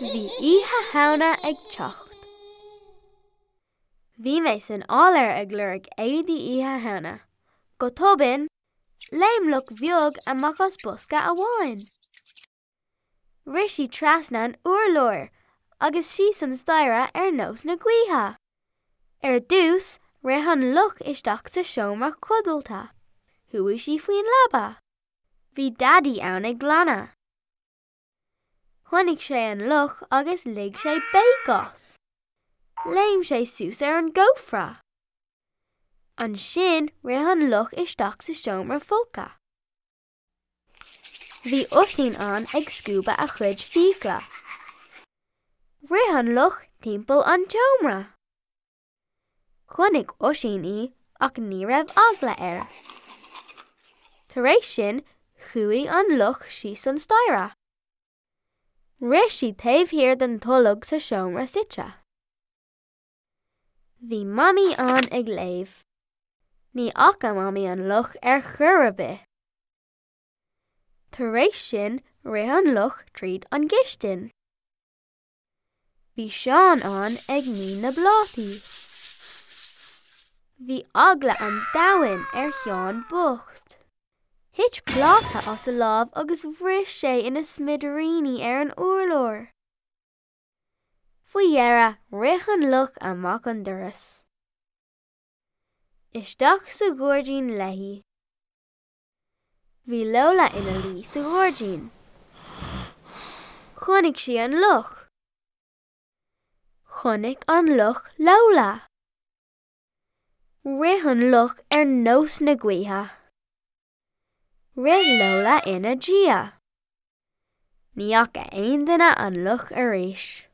Bhí Oíche Shamhna ag teacht. Bhí mé san áiléar ag lorg éadaí Oíche Shamhna. Go tobann, léim luch bheag amach as bosca amháin. Rith sí trasna an urláir agus síos an staighre ar nós na gaoithe. Ar dtús, rith an luch isteach sa seomra codlata. Chuaigh sí faoin leaba. Bhí Daidí ann ag glanadh. Chonaic sé an luch agus lig sé béic as. Léim sé suas ar an gcófra. Ansin rith an luch isteach sa seomra folctha. Bhí Oisín ann ag scuabadh a chuid fiacla. Rith an luch timpeall an tseomra. Chonaic Oisín í ach ní raibh eagla air. Tar éis sin chuaigh an luch síos an staighre. Rith sí taobh thiar den tolg sa seomra suite. Bhí Mamaí ann ag léamh. Ní fhaca Mamaí an luch ar chor ar bith. Tar éis sin rith an luch tríd an gcistin. Bhí Seán ann ag ní na bplátaí. Bhí eagla an domhain ar Sheán bocht. Thit pláta as a lámh agus bhris sé ina smidiríní ar an urlár. Faoi dheireadh rith an luch amach an doras. Isteach sa ghairdín léi. Bhí Lola ina luí sa ghairdín. Chonaic sí an luch. Chonaic an luch Lola. Rith an luch ar nós na gaoithe. Rith Lola ina diaidh. Ní fhaca aon duine an luch arís.